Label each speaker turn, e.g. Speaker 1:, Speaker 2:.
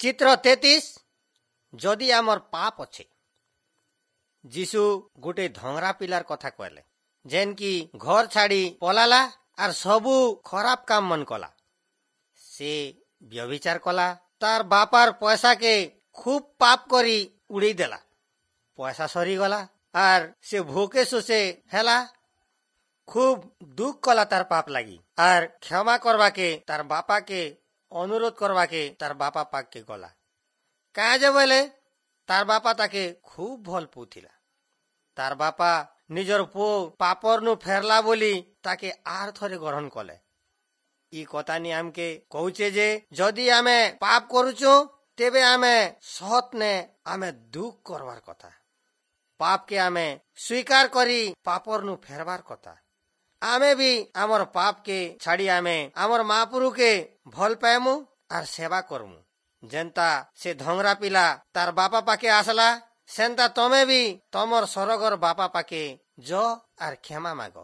Speaker 1: ଚିତ୍ର 33। ଯଦି ଆମର ପାପ ଅଛେ, ଯୀଶୁ ଗୋଟେ ଧଙ୍ଗରା ପିଲାର କଥା କହିଲେ, ଯେନ୍ କି ଘର ଛାଡି ପଲାଲା ଆର୍ ସବୁ ଖରାପ କାମ ମନ କଲା। ସେ ବ୍ୟଭିଚାର କଲା, ତାର ବାପାର ପଇସାକେ ଖୁବ ପାପ କରି ଉଡେଇ ଦେଲା। ପଇସା ସରିଗଲା ଆର୍ ସେ ଭୋକେ ଶୋଷେ ହେଲା। ଖୁବ ଦୁଃଖ କଲା ତାର ପାପ ଲାଗି ଆର୍ କ୍ଷମା କରବାକେ ତାର ବାପାକେ ଅନୁରୋଧ କରବାକେ ତାର ବାପା ପାଖକେ ଗଲା। କାଁ ଯେ ବୋଇଲେ ତାର ବାପା ତାକେ ଖୁବ ଭଲ ପାଉଥିଲା। ତାର ବାପା ନିଜର ପୁଅ ପାପରନୁ ଫେରଲା ବୋଲି ତାକେ ଆର ଥରେ ଗ୍ରହଣ କଲେ। ଇ କଥାନି ଆମକେ କହୁଛେ ଯେ ଯଦି ଆମେ ପାପ କରୁଛୁ, ତେବେ ଆମେ ସତ୍ ନେ ଆମେ ଦୁଃଖ କରବାର କଥା। ପାପକେ ଆମେ ସ୍ୱୀକାର କରି ପାପରନୁ ଫେରବାର କଥା। ଆମେ ବି ଆମର ପାପକେ ଛାଡି ଆମେ ଆମର ମାପୁରୁକେ ଭଲ ପାଏମୁ ଆର୍ ସେବା କରମୁ। ଯେନ୍ତା ସେ ଧଙ୍ଗରା ପିଲା ତାର ବାପା ପାଖେ ଆସଲା, ସେନ୍ତା ତମେ ବି ତମର ସରଗର ବାପା ପାଖେ ଯ ଆର୍ କ୍ଷମା ମାଗ।